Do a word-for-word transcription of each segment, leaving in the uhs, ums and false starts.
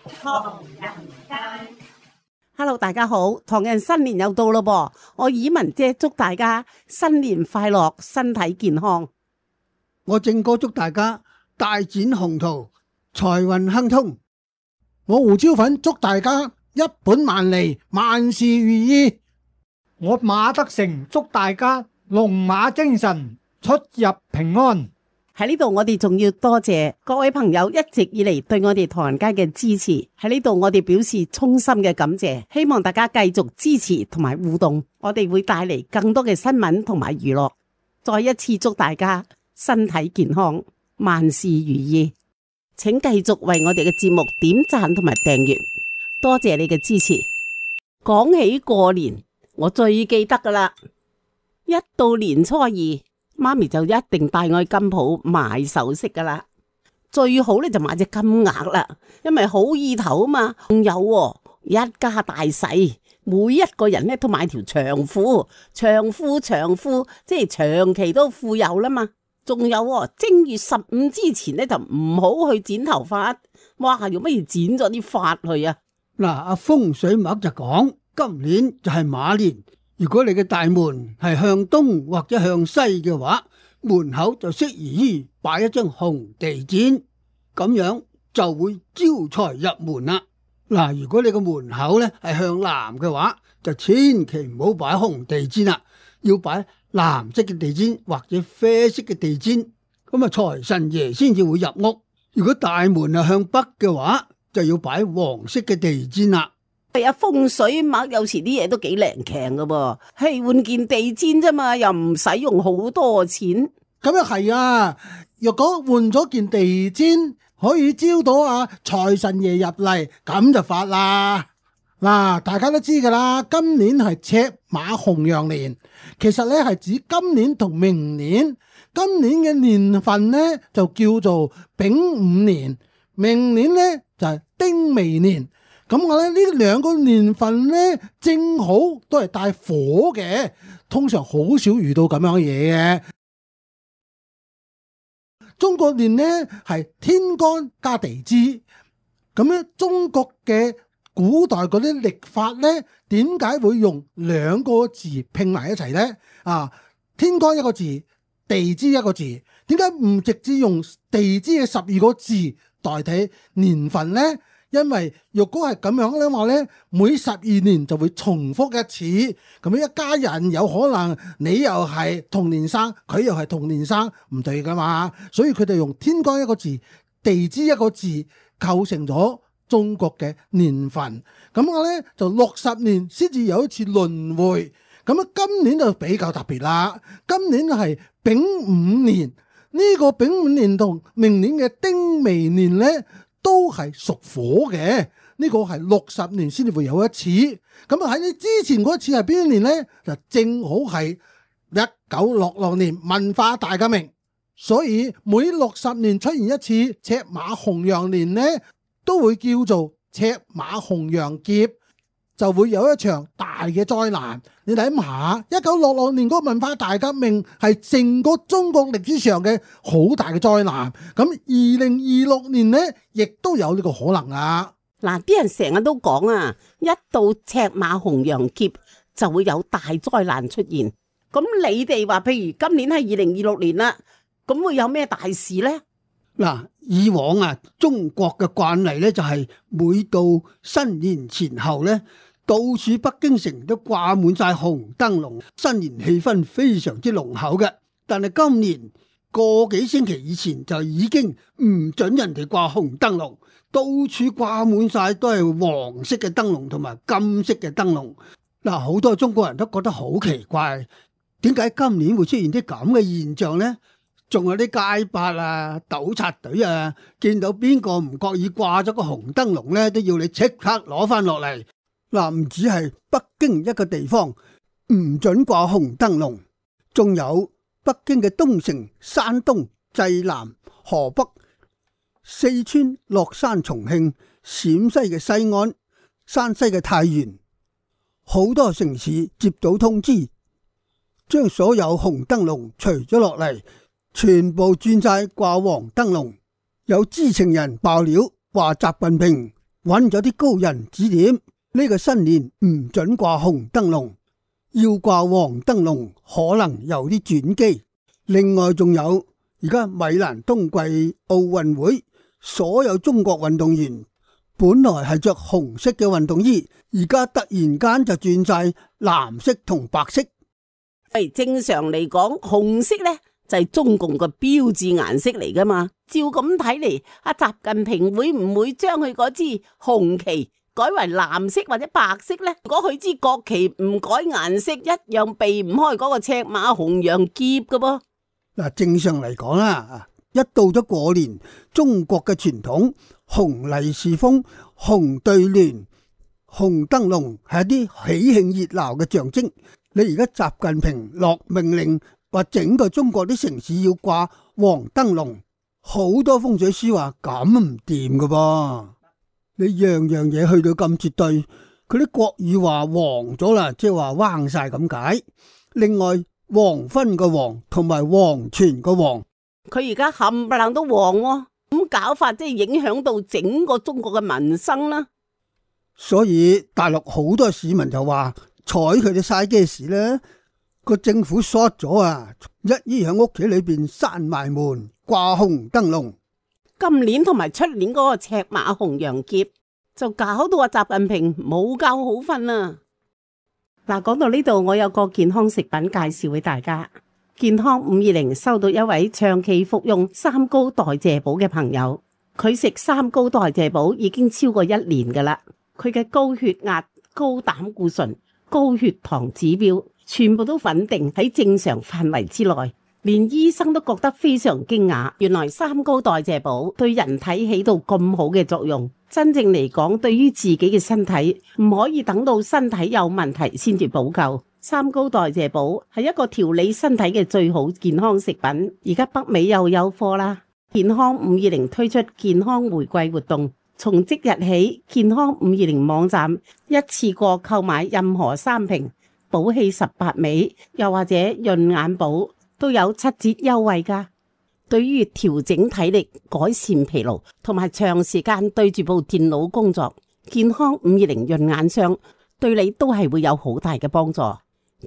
唐人街。Hello， 大家好，唐人新年又到咯噃，我以文姐祝大家新年快樂，身體健康。我正哥祝大家大展宏圖，財運亨通。我胡椒粉祝大家一本萬利，萬事如意。我馬德成祝大家龍馬精神，出入平安。喺呢度我哋仲要多謝各位朋友一直以嚟對我哋唐人街嘅支持，喺呢度我哋表示衷心嘅感謝，希望大家繼續支持同埋互動，我哋會帶嚟更多嘅新聞同埋娛樂。再一次祝大家身體健康，萬事如意。請繼續為我哋嘅節目點讚同埋訂閱，多謝你嘅支持。講起過年，我最記得噶啦，一到年初二，媽咪就一定帶我去金鋪買首飾噶啦，最好咧就買隻金額啦，因為好意頭啊嘛。仲有喎，一家大細每一個人咧都買條長褲，長褲長褲，即係長期都富有啦嘛。仲有喎，正月十五之前咧就唔好去剪頭髮，哇，用乜嘢剪咗啲髮去啊？嗱，阿風水脈就講，今年就係馬年。如果你嘅大門係向東或者向西嘅話，門口就適宜於擺一張紅地氈，咁樣就會招財入門啦。嗱，如果你個門口咧係向南嘅話，就千祈唔好擺紅地氈啦，要擺藍色嘅地氈或者啡色嘅地氈，咁啊財神爺先至會入屋。如果大門係向北嘅話，就要擺黃色嘅地氈啦。係啊，風水脈有時啲嘢都幾靈強噶噃，係換件地氈啫嘛，又唔使用好多錢。咁又係啊！若果換咗件地氈，可以招到啊財神爺入嚟，咁就發啦。嗱，大家都知噶啦，今年係赤馬紅羊年，其實咧係指今年同明年。今年嘅年份咧就叫做丙午年，明年咧就係丁未年。咁我咧呢兩個年份咧，正好都係帶火嘅，通常好少遇到咁樣嘅嘢嘅。中國年咧係天干加地支，咁咧中國嘅古代嗰啲曆法咧，點解會用兩個字拼埋一齊咧？啊，天干一個字，地支一個字，點解唔直接用地支嘅十二個字代替年份咧？因為若果係咁樣咧話咧，每十二年就會重複一次，咁樣一家人有可能你又係同年生，佢又係同年生，唔對噶嘛，所以佢哋用天干一個字，地支一個字構成咗中國嘅年份。咁我咧就六十年先至有一次輪迴，咁啊今年就比較特別啦，今年係丙午年，呢個丙午年同明年嘅丁未年咧，都係屬火嘅，呢個係六十年先至會有一次。咁啊喺你之前嗰次係邊一年呢？就正好係一九六六年文化大革命，所以每六十年出現一次赤馬紅羊年呢，都會叫做赤馬紅羊劫，就會有一場大嘅災難。你諗下，一九六六年嗰個文化大革命係成個中國歷史上嘅好大嘅災難。咁二零二六年呢，亦都有呢個可能啊！嗱，啲人成日都講啊，一到赤馬紅羊劫就會有大災難出現。咁你哋話，譬如今年係二零二六年啦，咁會有咩大事呢？嗱，以往啊，中國嘅慣例咧就係每到新年前後咧，到處北京城都掛滿晒紅燈籠，新年氣氛非常之濃厚嘅。但係今年個幾星期以前就已經唔准人哋掛紅燈籠，到處掛滿晒都係黃色嘅燈籠同埋金色嘅燈籠。嗱，好多中國人都覺得好奇怪，點解今年會出現啲咁嘅現象呢？仲有啲街霸啊、糾察隊啊，見到邊個唔覺意掛咗個紅燈籠咧，都要你即刻攞翻落嚟。嗱，唔止係北京一個地方唔准掛紅燈籠，仲有北京嘅東城、山東、濟南、河北、四川、樂山、重慶、陝西嘅西安、山西嘅太原，好多城市接到通知，將所有紅燈籠除咗落嚟，全部轉晒掛黃燈籠。有知情人爆料話，習近平揾咗啲高人指點，呢個新年唔准掛紅燈籠，要掛黃燈籠可能有啲轉機。另外仲有而家米蘭冬季奧運會，所有中國運動員本來係着紅色嘅運動衣，而家突然間就轉晒藍色同白色。係正常嚟講，紅色呢就係中共嘅標誌顏色嚟噶嘛。照咁睇嚟，阿習近平會唔會將佢嗰支紅旗改為藍色或者白色呢？如果佢支國旗唔改顏色，一樣避唔開嗰個赤馬紅羊劫噶噃。嗱，正常嚟講啦，一到咗過年，中國嘅傳統紅利是封、紅對聯、紅燈籠係一啲喜慶熱鬧嘅象徵。你而家習近平落命令，話整個中國啲城市要掛黃燈籠，好多風水師話咁唔掂噶噃。你樣樣嘢去到咁絕對，佢啲國語話黃咗啦，即係話彎晒咁解。另外黃昏個黃同埋黃泉個黃，佢而家冚唪唥都黃喎，咁搞法即係影響到整個中國嘅民生啦。所以大陸好多市民就話睬佢哋嘥嘅事咧，個政府 short 咗啊，一於喺屋企裏邊閂埋門掛紅燈籠。今年同埋出年嗰個赤馬紅羊劫就搞到阿習近平冇覺好瞓啊！嗱，講到呢度，我有個健康食品介紹俾大家。健康五二零收到一位長期服用三高代謝寶嘅朋友，佢食三高代謝寶已經超過一年噶啦。佢嘅高血壓、高膽固醇、高血糖指標全部都穩定喺正常範圍之內，連醫生都覺得非常驚訝。原來三高代謝寶對人體起到咁好嘅作用。真正嚟講，對於自己嘅身體唔可以等到身體有問題先至補救。三高代謝寶係一個調理身體嘅最好健康食品。而家北美又有貨啦，健康五二零推出健康回饋活動，從即日起，健康五二零網站一次過購買任何三瓶寶氣十八味，又或者潤眼寶都有七折優惠噶。對於調整體力、改善疲勞同埋長時間對住部電腦工作，健康五二零潤眼霜對你都係會有好大嘅幫助。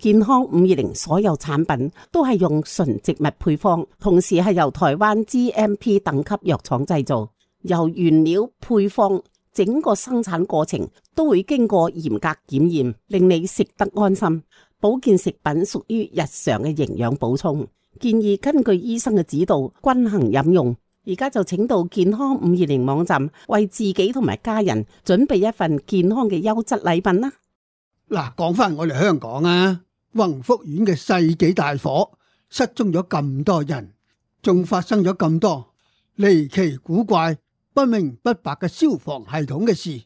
健康五二零所有產品都係用純植物配方，同時係由台灣 G M P 等級藥廠製造，由原料、配方整個生產過程都會經過嚴格檢驗，令你食得安心。保健食品屬於日常嘅營養補充，建議根據醫生嘅指導均衡飲用。而家就請到健康五二零網站為自己同埋家人準備一份健康嘅優質禮品啦。嗱，講翻我哋香港啊，宏福苑嘅世紀大火，失蹤咗咁多人，仲發生咗咁多離奇古怪、不明不白嘅消防系統嘅事，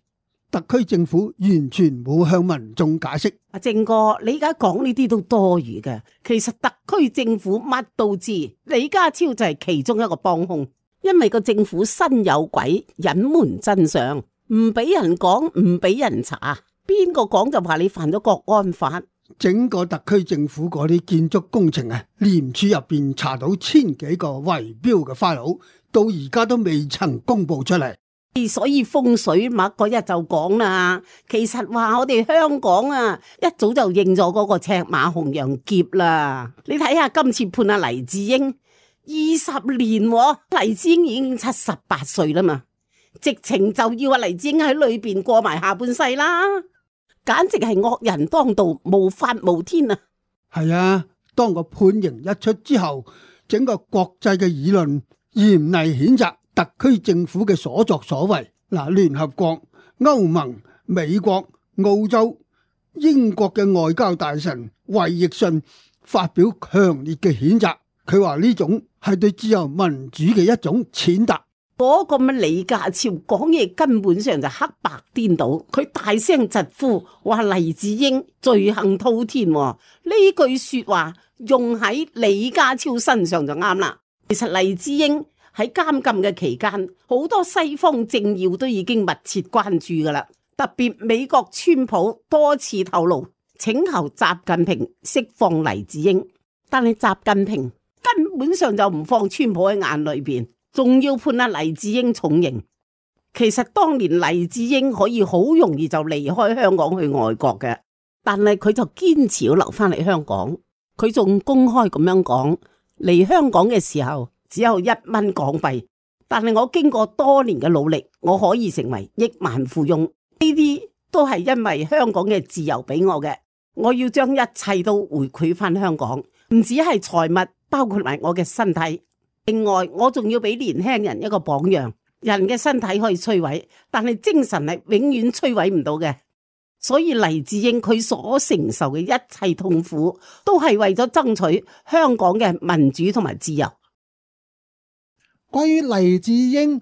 特區政府完全冇向民眾解釋。阿正哥，你而家講呢啲都多餘嘅。其實特區政府乜都知，李家超就係其中一個幫兇，因為個政府身有鬼，隱瞞真相，唔俾人講，唔俾人查，邊個講就話你犯咗國安法。整個特區政府嗰啲建築工程啊，廉署入邊查到千幾個圍標嘅 file，到而家都未曾公布出嚟。所以風水脈嗰日就講啦，其實話我哋香港啊，一早就認咗嗰個赤馬紅羊劫啦。你睇下今次判阿黎智英二十年，黎智英已經七十八歲啦嘛，直情就要阿黎智英喺裏邊過埋下半世啦，簡直係惡人當道，無法無天啊！係啊，當個判刑一出之後，整個國際嘅議論嚴厲譴責特區政府嘅所作所為。嗱，聯合國、歐盟、美國、澳洲、英國嘅外交大臣衛奕信發表強烈嘅譴責，佢話呢種係對自由民主嘅一種踐踏。嗰個乜李家超講嘢根本上就黑白顛倒，佢大聲疾呼話黎智英罪行滔天，呢句說話用喺李家超身上就啱啦。其實黎智英喺監禁嘅期間，好多西方政要都已經密切關注噶啦，特別美國川普多次透露請求習近平釋放黎智英，但係習近平根本上就唔放川普喺眼裏邊，仲要判阿黎智英重刑。其實當年黎智英可以好容易就離開香港去外國嘅，但係佢就堅持要留翻嚟香港。佢仲公開咁樣講，嚟香港嘅時候只有一蚊港幣，但係我經過多年嘅努力，我可以成為億萬富翁。呢啲都係因為香港嘅自由俾我嘅。我要將一切都回饋翻香港，唔止係財物，包括埋我嘅身體。另外，我仲要俾年輕人一個榜樣。人嘅身體可以摧毀，但係精神係永遠摧毀唔到嘅。所以黎智英佢所承受嘅一切痛苦，都係為咗爭取香港嘅民主同埋自由。關於黎智英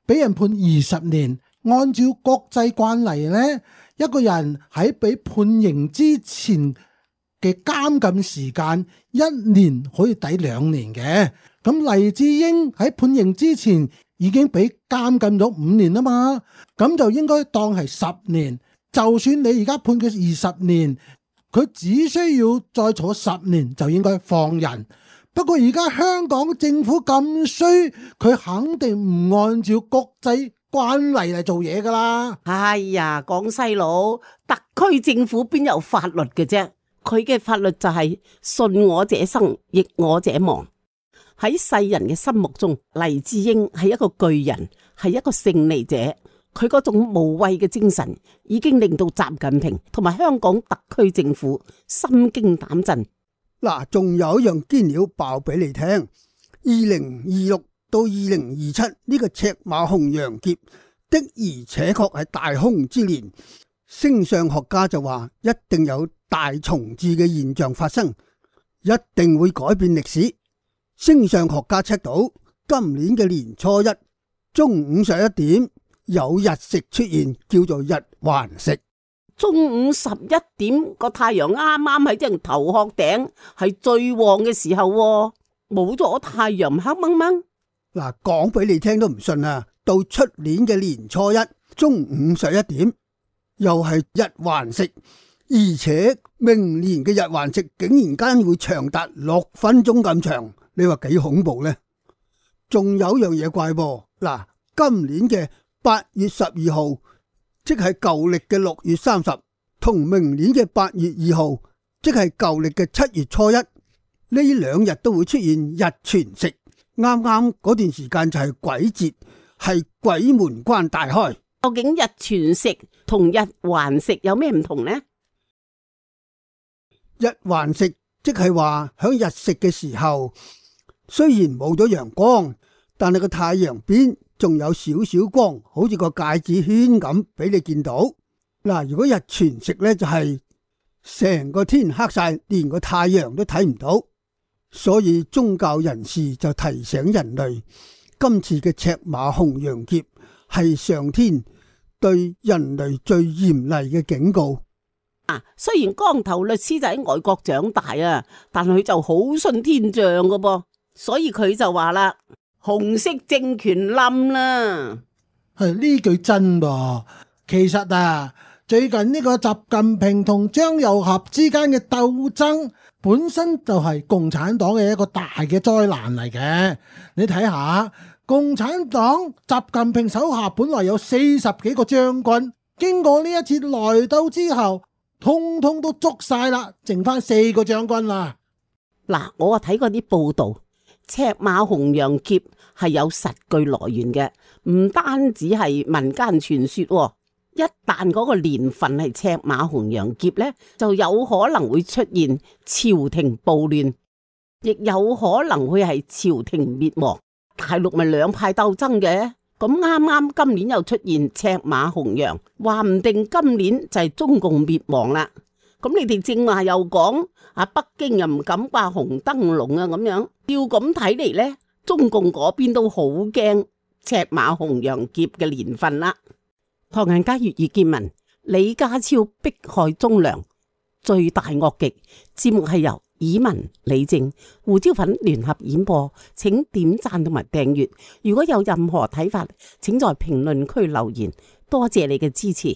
俾人判二十年，按照國際慣例呢，一個人喺被判刑之前嘅監禁時間一年可以抵兩年嘅。咁黎智英喺判刑之前已經俾監禁咗五年啊嘛，咁就應該當係十年。就算你而家判佢二十年，佢只需要再坐十年就應該放人。不過而家香港政府咁衰，佢肯定唔按照國際慣例嚟做嘢噶啦。哎呀，廣西佬，特區政府邊有法律嘅啫？佢嘅法律就係順我者生，逆我者亡。喺世人嘅心目中，黎智英係一個巨人，係一個勝利者。佢嗰種無畏嘅精神，已經令到習近平同埋香港特區政府心驚膽震。嗱，仲有一樣堅料爆俾你聽。二零二六到二零二七呢個赤馬紅羊劫的而且確係大凶之年。星相學家就話，一定有大重置嘅現象發生，一定會改變歷史。星相學家測到今年嘅年初一中午十一點有日食出現，叫做日環食。中午十一點個太陽啱啱喺正頭殼頂，係最旺嘅時候，冇咗太陽黑掹掹。嗱，講俾你聽都唔信啊！到出年嘅年初一中午十一點又係日環食，而且明年嘅日環食竟然間會長達六分鐘咁長。你話幾恐怖呢？仲有樣嘢怪噃，嗱，今年嘅八月十二號，即係舊曆嘅六月三十，同明年嘅八月二號，即係舊曆嘅七月初一，呢兩日都會出現日全食。啱啱嗰段時間就係鬼節，係鬼門關大開。究竟日全食同日環食有咩唔同呢？日環食即係話響日食嘅時候，雖然冇咗陽光，但係個太陽邊仲有少少光，好似個戒指圈咁俾你見到。嗱，如果日全食呢，就係成個天黑晒，連個太陽都睇唔到。所以宗教人士就提醒人類，今次嘅赤馬紅羊劫係上天對人類最嚴厲嘅警告。啊，雖然光頭律師就喺外國長大啊，但佢就好信天象噶噃，所以佢就話啦，紅色政權冧啦。係呢句真噃。其實啊，最近呢個習近平同張又俠之間嘅鬥爭，本身就係共產黨嘅一個大嘅災難嚟嘅。你睇下，共產黨習近平手下本來有四十幾個將軍，經過呢一次內鬥之後，通通都捉晒啦，剩翻四個將軍啦。嗱，我啊睇過啲報道，赤馬紅羊劫係有實據來源嘅，唔單止係民間傳說。一旦嗰個年份係赤馬紅羊劫呢，就有可能會出現朝廷暴亂，亦有可能會係朝廷滅亡。大陸咪兩派鬥爭嘅，咁啱啱今年又出現赤馬紅羊，話唔定今年就係中共滅亡啦。咁你哋正話又講啊，北京又唔敢掛紅燈籠啊，咁樣要咁睇嚟呢，中共嗰邊都好驚赤馬紅羊劫嘅年份啦。唐人街粵語見聞，李家超迫害忠良，罪大惡極。節目係由以文、李正、胡椒粉聯合演播，請點讚同埋訂閱。如果有任何睇法，請在評論區留言。多謝你嘅支持。